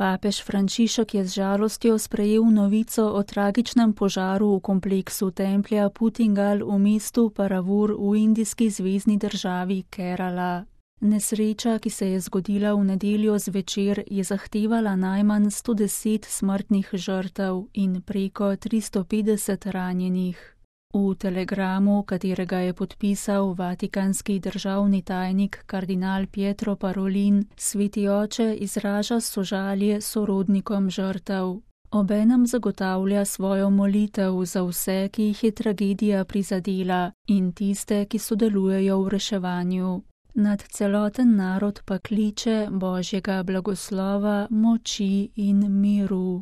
Papež Frančišek je z žalostjo sprejel novico o tragičnem požaru v kompleksu templja Putingal v mestu Paravur v indijski zvezni državi Kerala. Nesreča, ki se je zgodila v nedeljo zvečer, je zahtevala najmanj 110 smrtnih žrtev in preko 350 ranjenih. V telegramu, katerega je podpisal vatikanski državni tajnik kardinal Pietro Parolin, sveti oče izraža sožalje sorodnikom žrtev. Obenem zagotavlja svojo molitev za vse, ki jih je tragedija prizadela, in tiste, ki sodelujejo v reševanju. Nad celoten narod pa kliče Božjega blagoslova, moči in miru.